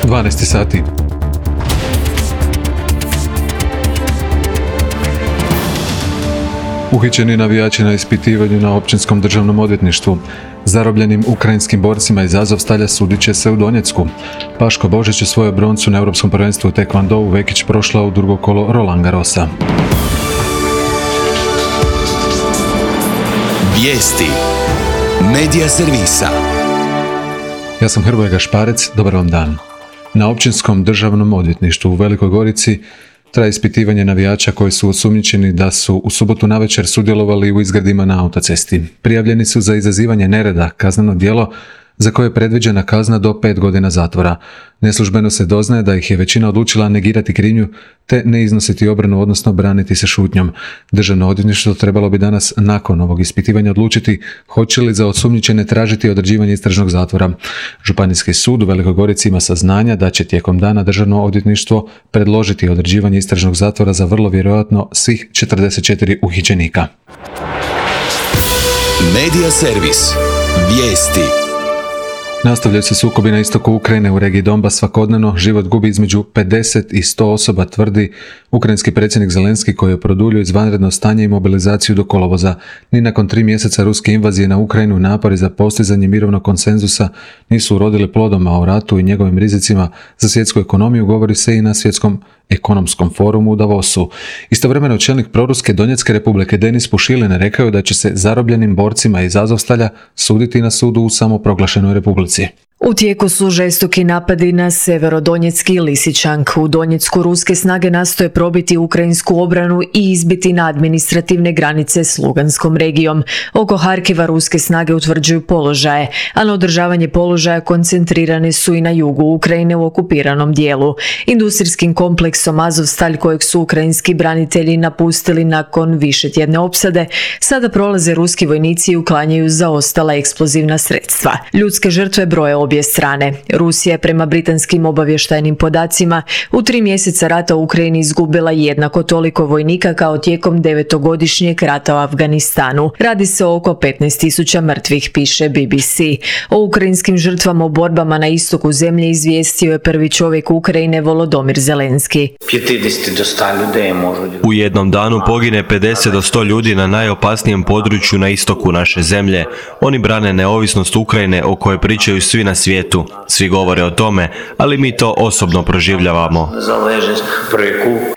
12 sati. Uhićeni navijači na ispitivanju na Općinskom državnom odvjetništvu. Zarobljenim ukrajinskim borcima iz Azovstalja sudit će se u Donjecku. Paško Božić je svoju broncu na Europskom prvenstvu u tekvondou Vekić prošla u drugo kolo Roland Garrosa. Vijesti Medija servisa. Ja sam Hrvoje Gašparec, dobar vam dan. Na Općinskom državnom odvjetništvu u Velikoj Gorici traje ispitivanje navijača koji su osumnjičeni da su u subotu navečer sudjelovali u izgredima na autocesti. Prijavljeni su za izazivanje nereda, kazneno djelo za koje je predviđena kazna do 5 godina zatvora. Neslužbeno se doznaje da ih je većina odlučila negirati krivnju te ne iznositi obranu, odnosno braniti se šutnjom. Državno odvjetništvo trebalo bi danas nakon ovog ispitivanja odlučiti hoće li za osumnjičene tražiti određivanje istražnog zatvora. Županijski sud u Velikoj Gorici ima saznanja da će tijekom dana Državno odvjetništvo predložiti određivanje istražnog zatvora za vrlo vjerojatno svih 44 uhićenika. Medija servis. Vijesti. Nastavljaju se sukobi na istoku Ukrajine u regiji Donbas svakodnevno. Život gubi između 50 i 100 osoba, tvrdi ukrajinski predsjednik Zelenski koji je produljio izvanredno stanje i mobilizaciju do kolovoza. Ni nakon 3 mjeseca ruske invazije na Ukrajinu napori za postizanje mirovnog konsenzusa nisu urodili plodom, a o ratu i njegovim rizicima za svjetsku ekonomiju govori se i na Svjetskom ekonomskom forumu u Davosu. Istovremeno čelnik proruske Donjecke republike Denis Pušilin rekao je da će se zarobljenim borcima iz Azovstalja suditi na sudu u samoproglašenoj republici. U tijeku su žestoki napadi na Severodonjecki i Lisičank. U Donjecku ruske snage nastoje probiti ukrajinsku obranu i izbiti na administrativne granice s Luganskom regijom. Oko Harkiva ruske snage utvrđuju položaje, a na održavanje položaja koncentrirane su i na jugu Ukrajine u okupiranom dijelu. Industrijskim kompleksom Azovstalj, kojeg su ukrajinski branitelji napustili nakon višetjedne opsade, sada prolaze ruski vojnici i uklanjaju zaostala eksplozivna sredstva. Ljudske žrtve broje obje strane. Rusija je prema britanskim obavještajnim podacima u 3 mjeseca rata u Ukrajini izgubila jednako toliko vojnika kao tijekom 9-godišnjeg rata u Afganistanu. Radi se o oko 15.000 mrtvih, piše BBC. O ukrajinskim žrtvama u borbama na istoku zemlje izvijestio je prvi čovjek Ukrajine Volodymyr Zelenski. U jednom danu pogine 50 do 100 ljudi na najopasnijem području na istoku naše zemlje. Oni brane neovisnost Ukrajine o kojoj pričaju svi na svijetu. Svi govore o tome, ali mi to osobno proživljavamo.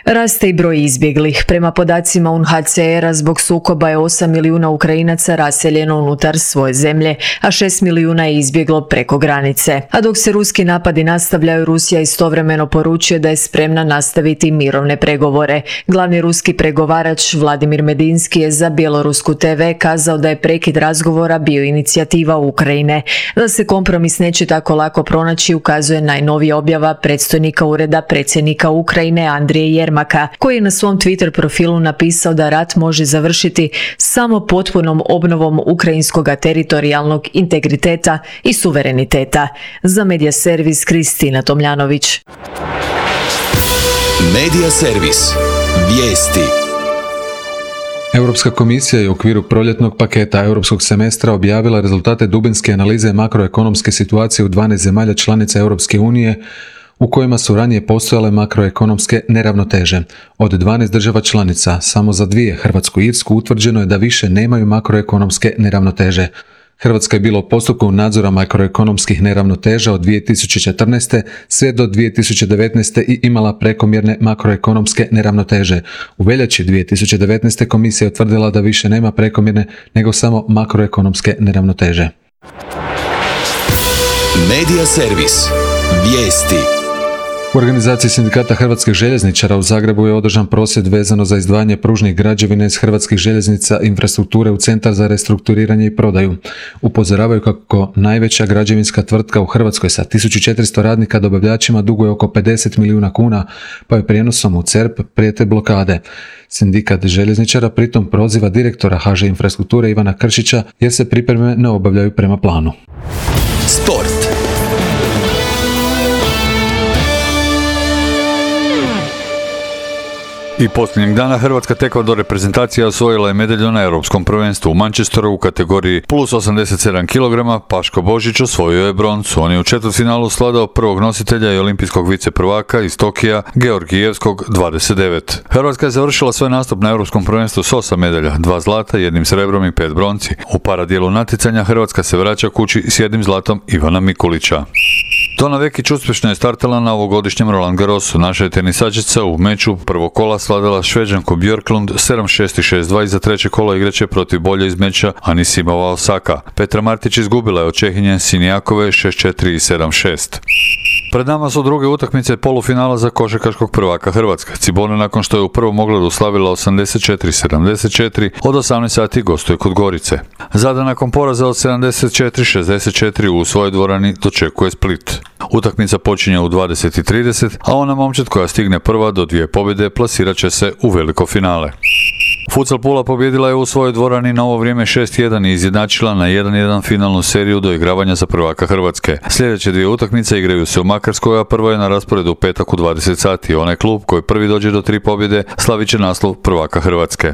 Raste i broj izbjeglih. Prema podacima UNHCR-a zbog sukoba je 8 milijuna Ukrajinaca raseljeno unutar svoje zemlje, a 6 milijuna je izbjeglo preko granice. A dok se ruski napadi nastavljaju, Rusija istovremeno poručuje da je spremna nastaviti mirovne pregovore. Glavni ruski pregovarač Vladimir Medinski je za Bjelorusku TV kazao da je prekid razgovora bio inicijativa Ukrajine. Da se kompromis neće tako lako pronaći ukazuje najnovija objava predstojnika ureda predsjednika Ukrajine Andrije Jermaka, koji je na svom Twitter profilu napisao da rat može završiti samo potpunom obnovom ukrajinskog teritorijalnog integriteta i suvereniteta. Za Medija servis Kristina Tomljanović. Medija servis. Vijesti. Europska komisija je u okviru proljetnog paketa europskog semestra objavila rezultate dubinske analize makroekonomske situacije u 12 zemalja članica Europske unije u kojima su ranije postojale makroekonomske neravnoteže. Od 12 država članica, samo za 2, Hrvatsku i Irsku, utvrđeno je da više nemaju makroekonomske neravnoteže. Hrvatska je bila u postupku nadzora makroekonomskih neravnoteža od 2014. sve do 2019. i imala prekomjerne makroekonomske neravnoteže. U veljači 2019. komisija je utvrdila da više nema prekomjerne nego samo makroekonomske neravnoteže. Medija servis. Vijesti. U organizaciji sindikata hrvatskih željezničara u Zagrebu je održan prosvjed vezano za izdvajanje pružnih građevina iz hrvatskih željeznica infrastrukture u Centar za restrukturiranje i prodaju. Upozoravaju kako najveća građevinska tvrtka u Hrvatskoj sa 1400 radnika dobavljačima duguje oko 50 milijuna kuna, pa je prijenosom u CERP prijete blokade. Sindikat željezničara pritom proziva direktora HŽ infrastrukture Ivana Kršića jer se pripreme ne obavljaju prema planu. Sport. I posljednjeg dana hrvatska taekwondo reprezentacija osvojila je medalju na Europskom prvenstvu u Manchesteru u kategoriji plus 87 kg. Paško Božić osvojio je broncu. On je u četvrtfinalu svladao prvog nositelja i olimpijskog viceprvaka iz Tokija, Georgijevskog 29. Hrvatska je završila svoj nastup na Europskom prvenstvu s 8 medalja, 2 zlata, 1 srebrom i 5 bronci. U paradijelu natjecanja Hrvatska se vraća kući s 1 zlatom Ivana Mikulića. Tona Vekić uspješno je startala na ovogodišnjem Roland Garrosu. Naša je tenisačica u meču prvog kola svladala Šveđanku Björklund 7-6 i 6-2 i za treće kolo igraće protiv bolje iz meča Anisimova Osaka. Petra Martić izgubila je od Čehinje Sinijakove 6-4 i 7-6. Pred nama su druge utakmice polufinala za košarkaškog prvaka Hrvatske. Cibona nakon što je u prvom ogledu slavila 84-74, od 18 sati gostuje kod Gorice. Zadar nakon poraza od 74-64 u svojoj dvorani dočekuje Split. Utakmica počinje u 20:30, a ona momčad koja stigne prva do 2 pobjede plasirat će se u veliko finale. Futsal Pula pobjedila je u svojoj dvorani na ovo vrijeme 6-1 i izjednačila na 1-1 finalnu seriju do igravanja za prvaka Hrvatske. Sljedeće 2 utakmice igraju se u Makarskoj, a prva je na rasporedu u petak u 20 sati. Onaj klub koji prvi dođe do 3 pobjede slavit će naslov prvaka Hrvatske.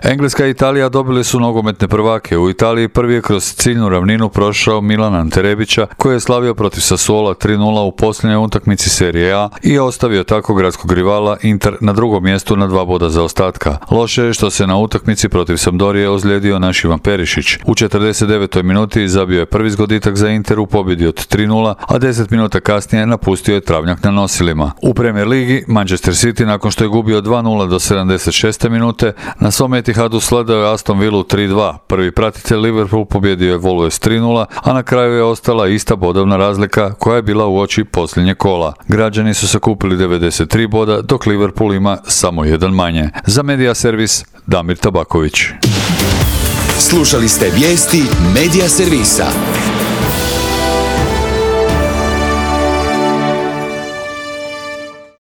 Engleska i Italija dobili su nogometne prvake. U Italiji prvi je kroz ciljnu ravninu prošao Milan Ante Rebića, koji je slavio protiv Sassuola 3-0 u posljednjoj utakmici Serije A i ostavio tako gradskog rivala Inter na drugom mjestu na 2 boda zaostatka. Loše je što se na utakmici protiv Sampdorije ozlijedio naš Ivan Perišić. U 49. minuti zabio je prvi zgoditak za Inter u pobjedi od 3-0, a 10 minuta kasnije napustio je travnjak na nosilima. U Premier ligi Manchester City nakon što je gubio 2-0 do 76. minute na svom Etihadu sledao je Aston Villu 3-2. Prvi pratitelj Liverpool pobjedio je Wolves 3-0, a na kraju je ostala ista bodovna razlika koja je bila uoči posljednje kola. Građani su sakupili 93 boda, dok Liverpool ima samo 1 manje. Za Media Servis Damir Tabaković. Slušali ste vijesti Media Servisa.